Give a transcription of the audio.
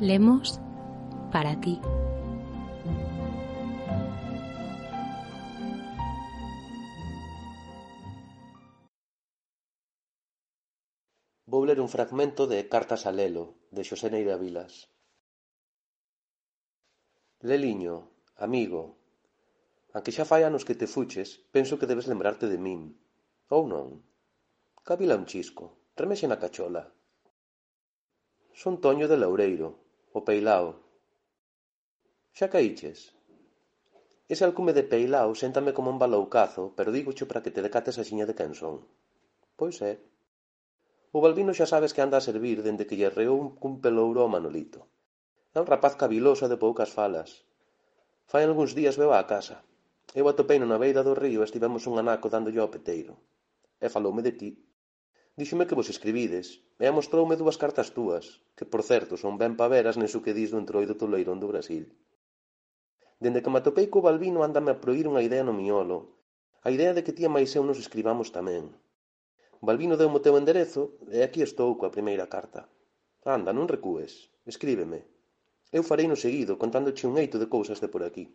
Lemos para ti. Vou ler un fragmento de Cartas a Lelo, de Xosé Neira Vilas. Leliño, amigo, anque xa fai anos que te fuches, penso que debes lembrarte de min. Ou non? Cabila un chisco, remexe na cachola. Son Toño de Loureiro, o Peilao. Xa caíches? Ese alcume de Peilao séntame como un baloucazo, pero dígocho para que te decates axiña de quen son. Pois é. O Balbino xa sabes que anda a servir dende que lle reou cun pelouro ao Manolito. É un rapaz caviloso de poucas falas. Fai algúns días veu á casa. Eu atopeino na beira do río e estivemos un anaco dándolle ao peteiro. E faloume de ti. Díxome que vos escribides, e mostroume 2 cartas túas, que, por certo, son ben paveras neso que dis do entroido toleirón do Brasil. Dende que me atopei co Balbino ándame a proír unha idea no miolo, a idea de que ti e máis eu nos escribamos tamén. Balbino deu-me o teu enderezo, e aquí estou coa primeira carta. Anda, non recúes, escríbeme. Eu farei no seguido, contándoche un eito de cousas de por aquí.